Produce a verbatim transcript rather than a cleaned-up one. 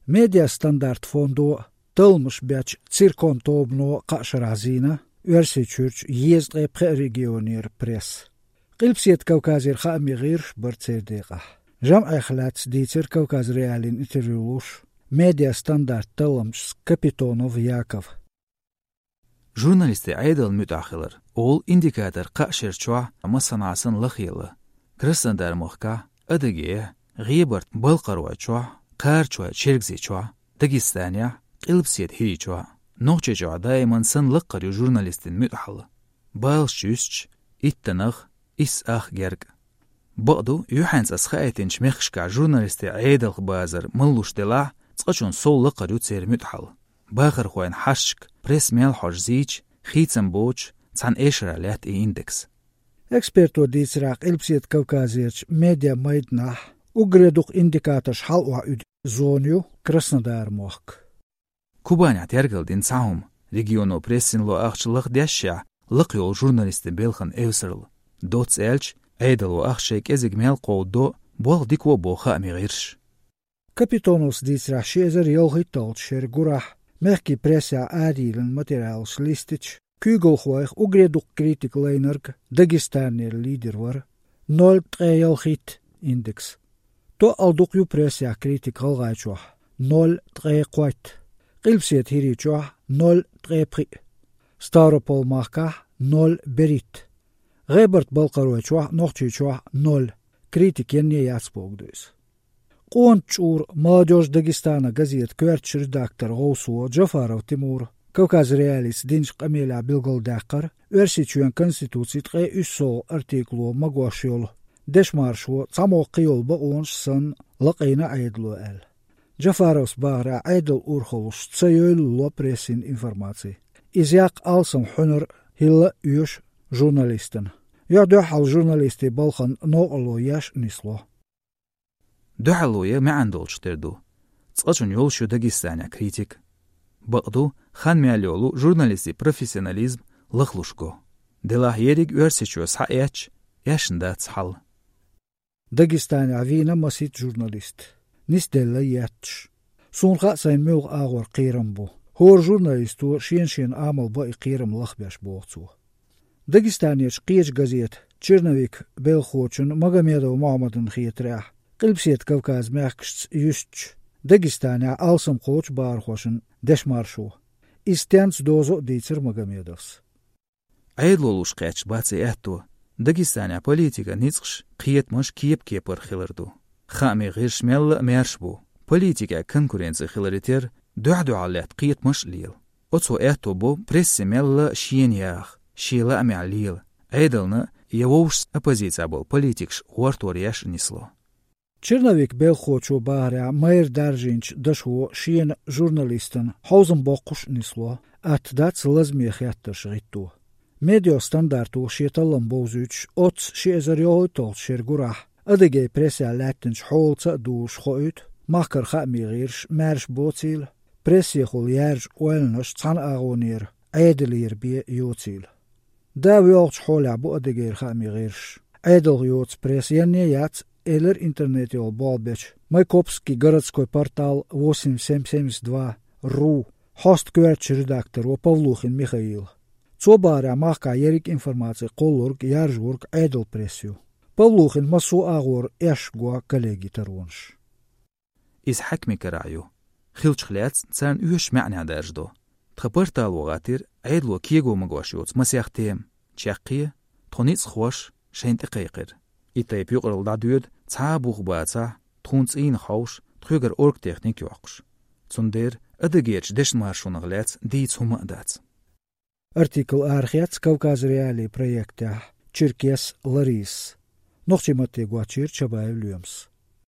Медиа стандарт фондо а, талламаш бечу Циркон тобано а кхаа шарахь зийна Оьрсийчуьрчу езткъе пхеа регионера пресса. Къилбаседа Кавказера хаамийн гӀирсаш бара церан декъехь. ЖамӀех лаьцна дийцира Кавказ.Реалиина интервью луш медиа стандарт талламчаца Капитонов Яков. Журналистийн Ӏедална муьтӀахь хилар олу индикатор кхаа шерачохь массанхьа санна лахъелла. Краснодар-махкахь, Адыгейхь, ГӀебарта-Балкхаройчохь, Кхарачой-Чергазийчохь, Дагестанехь, Къилбаседа ХӀирийчохь, Нохчийчохь даиман санна лакхара ю журналистийн муьтӀахьалла. Баллаш юьстича, иттанах, исс ах гергга. Бакъду, юьхьанца ас хаийтинчу мехкашкахь журналистийн Ӏедалх базар маллуш делахь, цкъачунна сов лакхара ю церан муьтӀахьалла. Бахархойн хьашташка пресса мел хьожу зийча, хийцам боцуш, цхьана эшарехь лаьтта и индекс. Эксперто дийцарехь, Къилбаседа Кавказерчу медиа майданахь уггаре дукха индикаторш хьалаохьа уьду зона ю Краснодар-мохк. Кубанехь тергалдина цхьа хӀума: регионо прессина ло ахча лахдешшехь, лакхайолу журналистийн белхан эвсаралла. Доцца аьлча, Ӏедало ахча шайн кӀезиг мел кховдадо, болх дика бо хаамийн гӀирсаш. Капитоновс дийцарехь, ши эзар ялхитталгӀачу шеран гурахь мехкийн прессехь арайиллина материалаш листича, куьйгалхойх уггаре дукха критика лайнарг Дагестанера лидер вара, ноль ткъе ялхитта индекс. Тоъал дукха ю прессехь критика ГӀалгӀайчохь, ноль ткъе кхойтта, Къилбаседа ХӀирийчохь, ноль ткъе пхиъ, Ставрополь-махкахь, ноль берхӀитта, ГӀебарта-Балкхаройчохь, Нохчийчохь, ноль, критика енне яц бохург ду иза. Къона чӀура «Молодёжь Дагестана» газетан коьртачу редакторан гӀовсо Джафаров Тимура Кавказ.Реалица динчу къамелехь билгалдаьккхира, Оьрсийчоьнан Конституцин ткъе уьссалгӀа артикуло магош йолу дешмаршо цхьаммо кхийолу бакъонаш санна лакъийна Ӏедало аьлла. Джафаровс бахарехь, Ӏедалан урхаллаша ца йойла ло прессина информаци. Иза яккха алсам хьуьнар хӀилла а оьшу журналистана. Юьхь-дуьхьал журналистийн балхана новкъарло еш а нисло. Дуьхьало я маьӀна долчух тера ду. Цкъачунна йолуш ю Дагестанехь критика. Бакъду, хан мел йолу журналистийн профессионализм лахлуш го. Делахь ерриг Оьрсийчоь схьаэцча, эшна дац хьал. Дагестанехь вийна масийтта журналист, нисделла етташ. Суна хаьа, сайн муьлха агӀор кхерам бу. ХӀора журналисто шена-шена амал бан и кхерам лахбеш, боху цо. Дагестанерчу кхечу газетан «Черновик» белхахочун Магомедов Мохьмадан хетарехь, Къилбаседа Кавказан мехкашца юьстича, Дагестанехь алсам кхочу бахархошна дешмаршо. Иза стенца дозу а дийцира Магомедовс. Ӏедало луш кхаьчна бац и аьтто. Дагестанехь политикан ницкъаш, кхетамаш кеп-кепара хилар ду. Хаамийн гӀирсаш мелла а маьрша бу. Политикехь конкуренци хиларе терра, дуьхь-дуьхьал лаьтта кхетамаш а лела. Оцо аьтто бо прессе мелла а шена яха, шен лаамехь лела, Ӏедална я вовшашца оппозицехь болу политикаш гӀортор еш а нисло. «Черновик» белхахочо бахарехь, майра даржийначу дашо шена журналистана хьовзам боккхуш а нисло, атта дац лазаме хеттарш гӀитто. «Медиа стандарто» шен таллам бовзуьйтуш, оццу ши эзар йолхуьйтталгӀачу шеран гурахь Адыгейн прессехь лаьттинчу хьолаца а дузуш хоуьйту, махкара хаамийн гӀирсаш маьрша боцийла, прессехула яьржа ойланаш цхьана агӀонера, Ӏедалера бен йоцийла. Да воьлхучу хьолехь бу Адыгейра хаамийн гӀирсаш. Ӏедалх йоцу пресса енне яц, элира интернете йолу болх бечу «Майкопский городской портал восемь семь семьдесят два ру» хьоста коьртачу редакторо Павлухин Михаила. Цо бахарехь, махкахь ерриг информаци кхоллург, яржорг Ӏедалан пресса ю. Павлухин массо а агӀор эшна го коллегийн таронаш. Иза хьаькамийн карахь ю. Хиллачух лаьцна царна оьшуш маьӀнехь даржадо. Тхан портало гӀаттийра Ӏедало кего магош йоцу масех тема. Чаккхе, тхо ницкъахоша шайна тӀекхайкхира. И тайпа юкъаралла дӀадоьду цхьа а бух бацахь, тхуна цӀийнах хьовша, тхоьгара оргтехника а йоккхуш. Цундела Адыгейрчу дешномаршонах лаьцна дийца хӀума а дац. Артикл арахецна Кавказ.Реалии проектехь Черкес Ларисас. Нохчийн матте гочйийра Чабаев Лоьмас.